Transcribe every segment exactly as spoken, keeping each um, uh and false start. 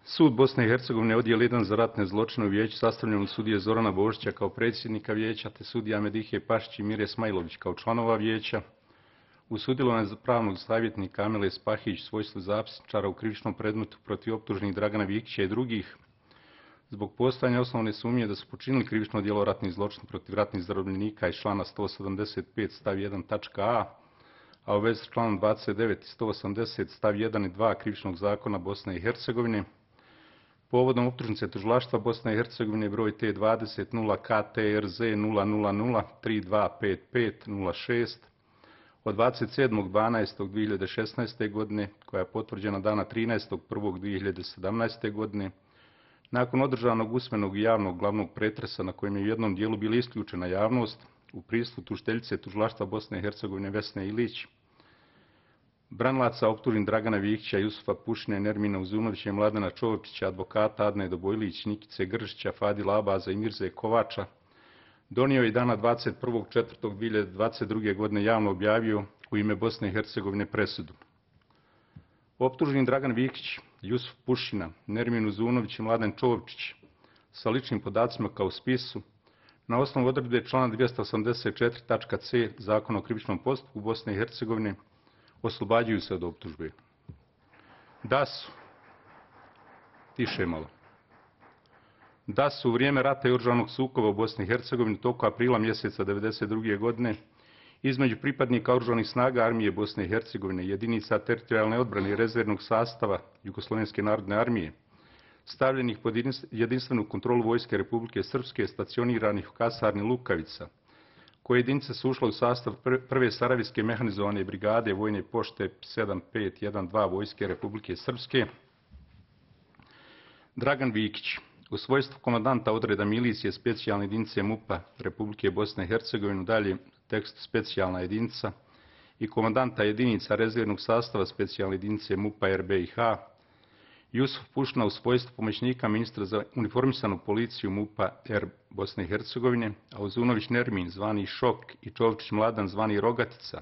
Sud Bosne i Hercegovine, odjel jedan za ratne zločine u vijeću sastavljen od sudije Zorana Božića kao predsjednika vijeća, te sudija Medihe Pašić i Mire Smajlović kao članova vijeća. U sudjelovanju za pravnog savjetnika Amile Spahić, svojstvu zapisničara u krivičnom predmetu protiv optuženih Dragana Vikića i drugih, zbog postojanja osnovne sumnje da su počinili krivično djelo ratnih zločina protiv ratnih zarobljenika iz člana sto sedamdeset pet stav jedan tačka a, a u vezi s članom dvadeset devet i sto osamdeset stav jedan i dva Krivičnog zakona Bosne i Hercegovine, povodom optužnice tužilaštva Bosne i Hercegovine broj T dvadeset nula K T R Z nula nula nula tri dva pet pet nula šest od dvadeset sedmog dvanaestog dvije hiljade šesnaeste. godine, koja je potvrđena dana trinaestog prvog dvije hiljade sedamnaeste. godine, nakon održanog usmenog i javnog glavnog pretresa na kojem je u jednom dijelu bila isključena javnost, u prisustvu tužiteljice tužilaštva Bosne i Hercegovine Vesne Ilić, branilaca optuženih Dragana Vikića, Jusufa Pušine, Nermina Uzunovića i Mladena Čovčića, advokata Adne Dobojlić, Nikice Gržića, Fadila Abaza i Mirze Kovača, donio je dana dvadeset prvog četvrtog dvije hiljade dvadeset druge. godine javno objavio u ime Bosne i Hercegovine presudu. Optuženi Dragan Vikić, Jusuf Pušina, Nermin Uzunović i Mladen Čovčić sa ličnim podacima kao spisu, na osnovu odredbe člana dvjesto osamdeset četiri tačka c Zakona o krivičnom postupku Bosne i Hercegovine oslobađaju se od optužbe. Da su, tiše malo, da su u vrijeme rata i oružanog sukoba u Bosni i Hercegovini tokom aprila mjeseca devedeset druge. godine između pripadnika oružanih snaga Armije Bosne i Hercegovine, jedinica teritorijalne odbrane i rezervnog sastava Jugoslovenske narodne armije, stavljenih pod jedinstvenu kontrolu Vojske Republike Srpske, stacioniranih u kasarni Lukavica, koje jedinice su ušle u sastav prve Sarajevske mehanizovane brigade vojne pošte sedam pet jedan dva Vojske Republike Srpske, Dragan Vikić, u svojstvu komandanta odreda milicije specijalne jedinice MUP-a Republike Bosne i Hercegovine, dalje tekst specijalna jedinica, i komandanta jedinica rezervnog sastava specijalne jedinice MUP-a R B i H, Jusuf Pušna u svojstvu pomoćnika ministra za uniformisanu policiju MUP-a R Bosne i Hercegovine, a Uzunović Nermin zvani Šok i Čovčić Mladan zvani Rogatica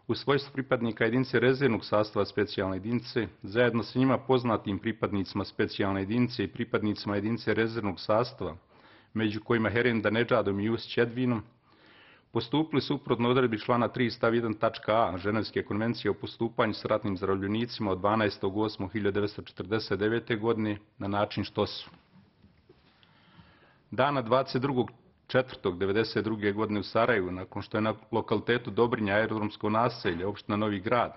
u svojstvu pripadnika jedinice rezervnog sastava specijalne jedinice, zajedno sa njima poznatim pripadnicima specijalne jedinice i pripadnicima jedinice rezervnog sastava, među kojima Herenda Nedžadom i Jus Čedvinom, postupili suprotno odredbi člana tri stav jedan tačka a Ženevske konvencije o postupanju s ratnim zarobljenicima od dvanaestog osmog hiljade devetsto četrdeset devete. godine na način što su dana dvadeset drugog četvrtog devedeset druge. godine u Sarajevu, nakon što je na lokalitetu Dobrinja aerodromsko naselje, opština Novi Grad,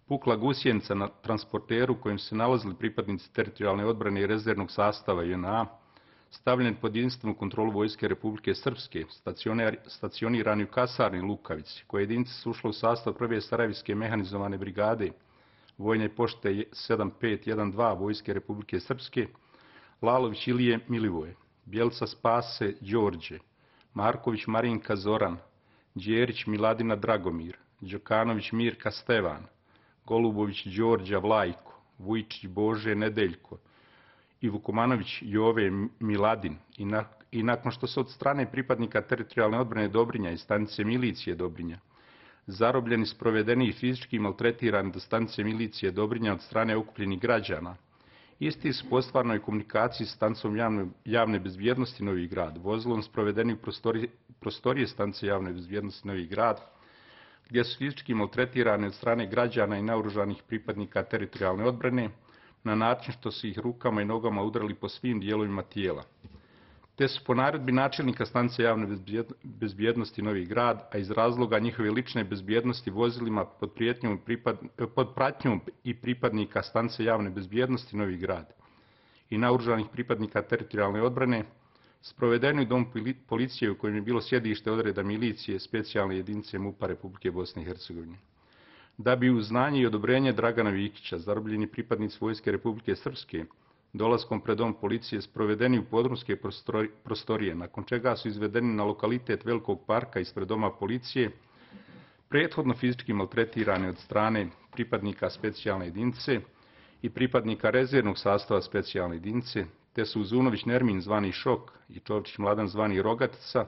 pukla gusjenica na transporteru kojim su se nalazili pripadnici teritorijalne odbrane i rezervnog sastava J N A, stavljen pod jedinstvenu kontrolu Vojske Republike Srpske, stacionirani u kasarni Lukavici, koje jedinice su ušle u sastav prve Sarajevske mehanizovane brigade vojne pošte sedam pet jedan dva Vojske Republike Srpske, Lalović Ilije Milivoje, Bjelca Spase Đorđe, Marković Marinka Zoran, Đerić Miladina Dragomir, Đokanović Mirka Stevan, Golubović Đorđa Vlajko, Vujčić Bože Nedeljko i Vukomanović Jove Miladin, i, na, i nakon što se od strane pripadnika teritorijalne odbrane Dobrinja i stanice milicije Dobrinja zarobljeni, sprovedeni i fizički maltretirani do stanice milicije Dobrinja od strane okupljenih građana, isti su po stvarnoj komunikaciji s stanicom javne, javne bezbjednosti Novi Grad, vozilom sprovedeni u prostorije, prostorije stanice javne bezbjednosti Novi Grad, gdje su fizički maltretirani od strane građana i naoružanih pripadnika teritorijalne odbrane, na način što su ih rukama i nogama udarali po svim dijelovima tijela. Te su po naredbi načelnika stanice javne bezbjednosti Novi Grad, a iz razloga njihove lične bezbjednosti vozilima pod, pripad, pod pratnjom i pripadnika stanice javne bezbjednosti Novi Grad i naoružanih pripadnika teritorijalne odbrane, sprovedeni u dom policije u kojem je bilo sjedište odreda milicije specijalne jedinice MUP-a Republike Bosne i Hercegovine. Da bi uz znanje i odobrenje Dragana Vikića, zarobljeni pripadnici Vojske Republike Srpske, dolaskom pred dom policije sprovedeni u podrumske prostorije, nakon čega su izvedeni na lokalitet Velikog parka ispred doma policije, prethodno fizički maltretirani od strane pripadnika specijalne jedinice i pripadnika rezervnog sastava specijalne jedinice, te su Uzunović Nermin zvani Šok i Čovčić Mladan zvani Rogatica,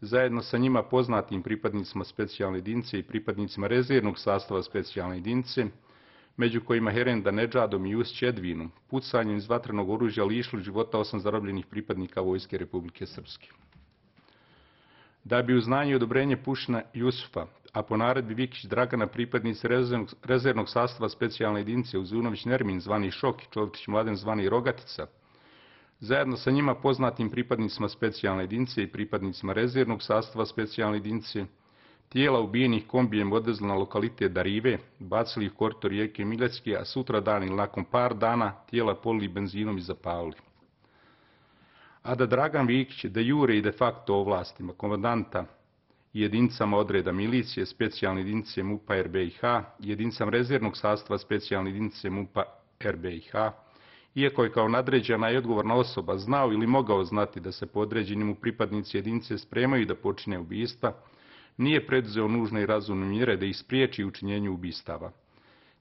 zajedno sa njima poznatim pripadnicima specijalne jedinice i pripadnicima rezervnog sastava specijalne jedinice, među kojima Herenda Nedžadom i Jus Čedvinom, pucanjem iz vatrenog oružja lišili života osam zarobljenih pripadnika Vojske Republike Srpske. Da bi uz znanje i odobrenje Pušina Jusufa, a po naredbi Vikić Dragana pripadnici rezervnog, rezervnog sastava specijalne jedinice Uzunović Nermin zvani Šok i Čovčić Mladen zvani Rogatica, zajedno sa njima poznatim pripadnicima specijalne jedinice i pripadnicima rezervnog sastava specijalne jedinice, tijela ubijenih kombijem odvezli na lokalitet Darive, bacili ih u korito rijeke Miljacke, a sutra dan ili nakon par dana tijela polili benzinom i zapalili. A da Dragan Vikić de jure i de facto ovlastima komandanta i jedinicama odreda milicije, specijalne jedinice MUP-a R B I H, jedinicama rezervnog sastava specijalne jedinice MUP-a R B I H, iako je kao nadređena i odgovorna osoba znao ili mogao znati da se podređeni mu pripadnici jedinice spremaju da počine ubistva, nije preduzeo nužne i razumne mjere da ih spriječi učinjenju ubistava.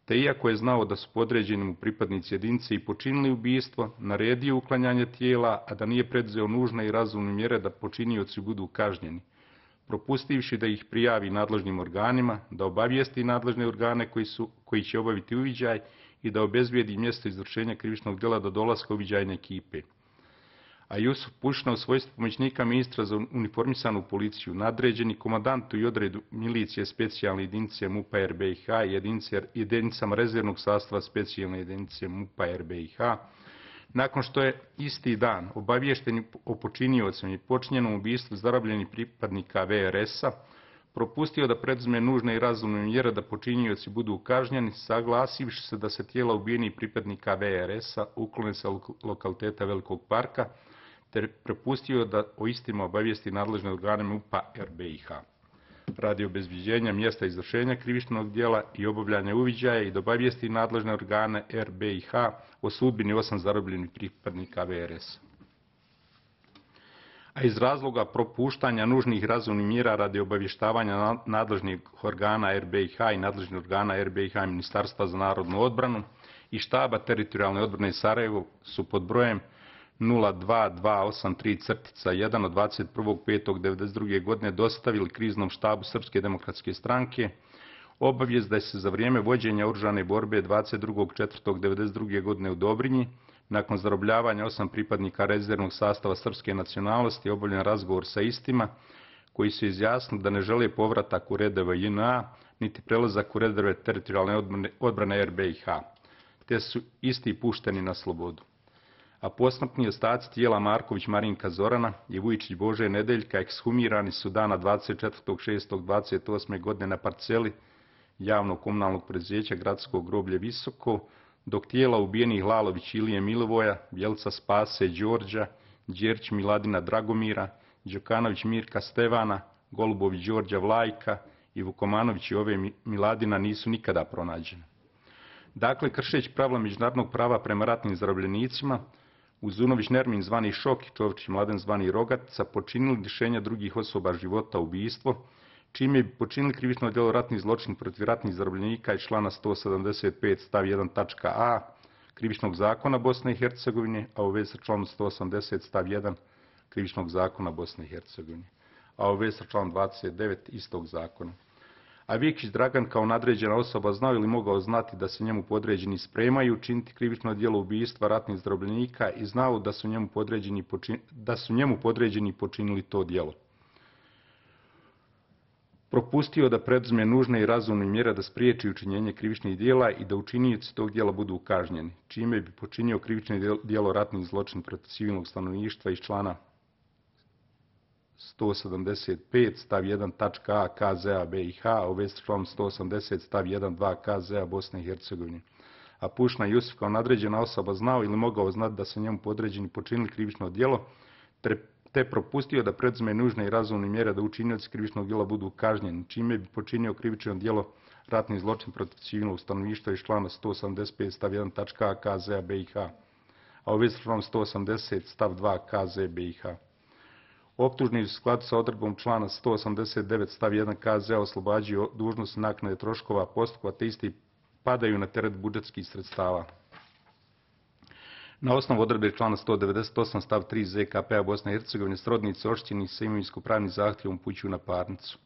Te iako je znao da su podređeni mu pripadnici jedinice i počinili ubistvo, naredio uklanjanje tijela, a da nije preduzeo nužne i razumne mjere da počinioci budu kažnjeni, propustivši da ih prijavi nadležnim organima, da obavijesti nadležne organe koji, su, koji će obaviti uviđaj i da obezbijedi mjesto izvršenja krivičnog djela do dolaska uviđajne ekipe. A Jusuf Pušina u svojstvu pomoćnika ministra za uniformisanu policiju, nadređeni komandantu i odredu milicije specijalne jedinice MUP-a R B I H i jedinicama rezervnog sastava specijalne jedinice MUP-a R B I H, nakon što je isti dan obaviješten o počiniocima i počinjenom ubistvu zarobljenih pripadnika V R S-a, propustio da preduzme nužne i razumne mjere da počinioci budu kažnjeni, saglasivši se da se tijela ubijenih pripadnika V R S-a uklone sa lokaliteta Velikog parka, te prepustio da o istima obavijesti nadležne organe MUP-a R B I H. Radi obezbeđenja mjesta izvršenja krivičnog djela i obavljanja uviđaja i da obavijesti nadležne organe R B I H o sudbini osam zarobljenih pripadnika V R S-a. A iz razloga propuštanja nužnih razumnih mjera radi obavještavanja nadležnih organa R B I H i nadležnih organa R B I H i Ministarstva za narodnu odbranu i štaba teritorijalne odbrane Sarajevo su pod brojem nula dva dva osam tri jedan od dvadeset prvog petog devedeset druge godine dostavili kriznom štabu Srpske demokratske stranke obavijest da je se za vrijeme vođenja oružane borbe dvadeset drugog četvrtog devedeset druge godine u Dobrinji, nakon zarobljavanja osam pripadnika rezervnog sastava srpske nacionalnosti, obavljen razgovor sa istima, koji su izjasnili da ne žele povratak u redove J N A, niti prelazak u redove teritorijalne odbrane, odbrane R B I H, te su isti pušteni na slobodu. A posmrtni ostaci tijela Marković Marinka Zorana i Vujičić Bože Nedeljka ekshumirani su dana dvadeset četvrtog šestog dvadeset osme godine na parceli javnog komunalnog preduzeća Gradsko groblje Visoko, dok tijela ubijenih Lalović Ilije Milivoja, Bjelca Spase Đorđa, Đerć Miladina Dragomira, Đokanović Mirka Stevana, Golubović Đorđa Vlajka i Vukomanović Jove Miladina nisu nikada pronađene. Dakle, kršeći pravila međunarodnog prava prema ratnim zarobljenicima, Uzunović Nermin zvani Šok i Čovčić Mladen zvani Rogatica počinili lišenja drugih osoba života ubistvo, čime bi počinili krivično djelo ratnih zločin protiv ratnih zarobljenika iz člana sto sedamdeset pet stav jedan tačka a Krivičnog zakona Bosne i Hercegovine, a u vezi sa članom sto osamdeset stav jedan Krivičnog zakona Bosne i Hercegovine, a u vezi sa članom dvadeset devet istog zakona. A Vikić Dragan kao nadređena osoba znao ili mogao znati da se njemu podređeni spremaju učiniti krivično djelo ubistva ratnih zarobljenika i znao da su njemu podređeni, počin, da su njemu podređeni počinili to djelo. Propustio da preduzme nužne i razumne mjere da spriječi učinjenje krivičnih djela i da učinioci tog djela budu kažnjeni, čime bi počinio krivično djelo ratnih zločin protiv civilnog stanovništva iz člana sto sedamdeset pet stav jedan tačka a K Z A B I H, a u vezi s članom sto osamdeset stav jedan dva K Z A Bosne i Hercegovine. A Pušina Jusuf kao nadređena osoba znao ili mogao znati da se njemu podređeni počinili krivično djelo, te propustio da preduzme nužne i razumne mjere da učinioci krivičnog djela budu kažnjeni, čime bi počinio krivično djelo ratni zločin protiv civilnog stanovništva iz člana sto osamdeset pet stav jedan tačka a K Z A B I H, a u vezi s članom sto osamdeset stav dva K Z B I H. Optužni u skladu sa odredbom člana sto osamdeset devet stav jedan K Z A oslobađaju dužnosti naknade troškova postupka, te isti padaju na teret budžetskih sredstava. Na osnovu odredbe člana sto devedeset osam stav tri Z K P-a Bosne i Hercegovine srodnici oštećeni sa imovinsko-pravnim zahtjevom upućuju na parnicu.